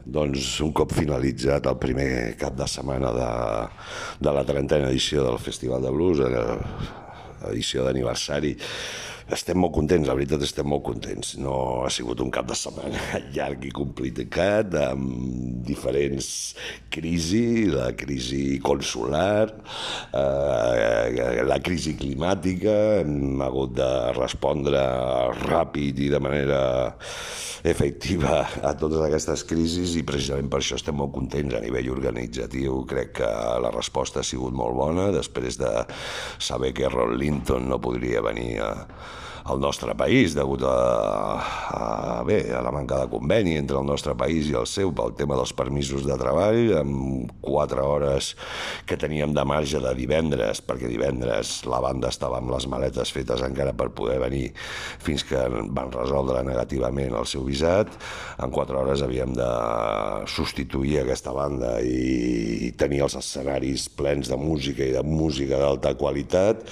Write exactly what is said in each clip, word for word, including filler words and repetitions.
Doncs un cop finalitzat el primer cap de setmana de, de la trentena edició del Festival de Blues, edició d'aniversari, estem molt contents, la veritat estem molt contents. No ha sigut un cap de setmana llarg i complicat, amb diferents crisis, la crisi consular, eh, la crisi climàtica, hem hagut de respondre ràpid i de manera efectiva a totes aquestes crisis i precisament per això estem molt contents a nivell organitzatiu. Crec que la resposta ha sigut molt bona després de saber que Ron Linton no podria venir a al nostre país degut a, a, bé, a la manca de conveni entre el nostre país i el seu pel tema dels permisos de treball, amb quatre hores que teníem de marge de divendres, perquè divendres la banda estava amb les maletes fetes encara per poder venir fins que van resoldre negativament el seu visat. En quatre hores havíem de substituir aquesta banda i tenir els escenaris plens de música i de música d'alta qualitat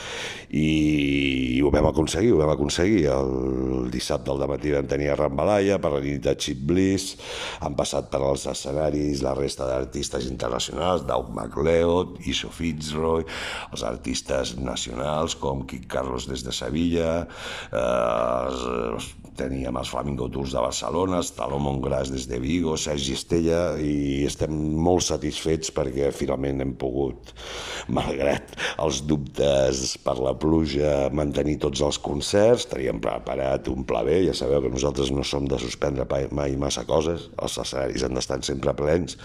i, i ho vam aconseguir, ho vam aconseguir. El dissabte al dematí vam tenir a Rambalaya, per la nit de Cheap Bliss, han passat per als escenaris la resta d'artistes internacionals, Doug MacLeod, Iso Fitzroy, els artistes nacionals com Kid Carlos des de Sevilla, eh, teníem els Flamingo Tours de Barcelona, Salomon Gras des de Vigo, Sergi Estella, i estem molt satisfets perquè finalment hem pogut, malgrat els dubtes per la pluja, mantenir tots els concerts. Teníem preparat un pla B, ja sabeu que nosaltres no som de suspendre mai massa coses, els escenaris han d'estar sempre plens,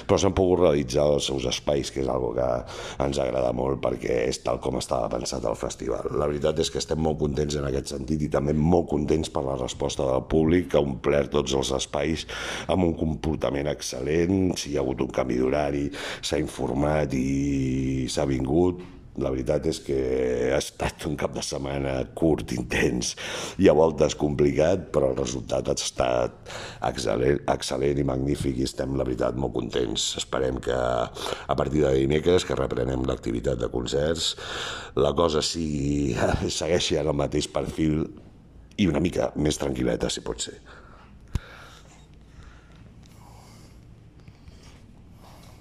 però s'han pogut realitzar els seus espais, que és una cosa que ens agrada molt perquè és tal com estava pensat el festival. La veritat és que estem molt contents en aquest sentit i també molt contents per la resposta del públic, que ha omplert tots els espais amb un comportament excel·lent. Si hi ha hagut un canvi d'horari, s'ha informat i s'ha vingut. La veritat és que ha estat un cap de setmana curt, intens i a voltes complicat, però el resultat ha estat excel·lent, excel·lent i magnífic i estem, la veritat, molt contents. Esperem que a partir de dimecres, que reprenem l'activitat de concerts, la cosa sigui, segueixi en el mateix perfil i una mica més tranquil·leta, si pot ser.